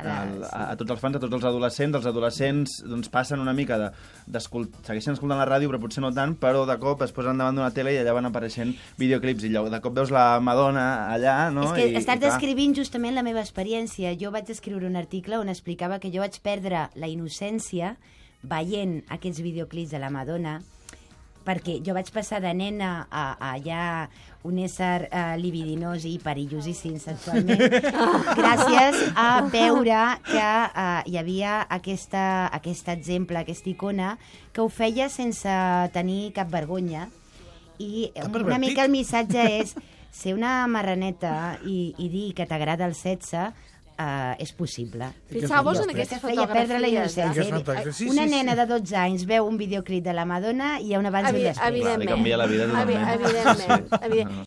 a tots els fans, a tots els adolescents doncs passen una mica segueixen escoltant la ràdio, però potser no tant, però de cop es posen davant d'una tele i allà van apareixent videoclips, i de cop veus la Madonna allà, no? És que estàs descrivint justament la meva experiència. Jo vaig escriure un article on explicava que jo vaig perdre la innocència veient aquests videoclips de la Madonna, perquè jo vaig passar de nena a ja un ésser libidinós i perillosíssim sexualment, gràcies a veure que hi havia aquest exemple, aquesta icona, que ho feia sense tenir cap vergonya. I una mica el missatge és ser una marraneta i dir que t'agrada el sexe és possible. Fixeu-vos en aquestes fotografies. Una nena de 12 anys veu un videoclip de la Madonna i hi ha un abans i un després. Li canvia la vida totalment. Evidentment.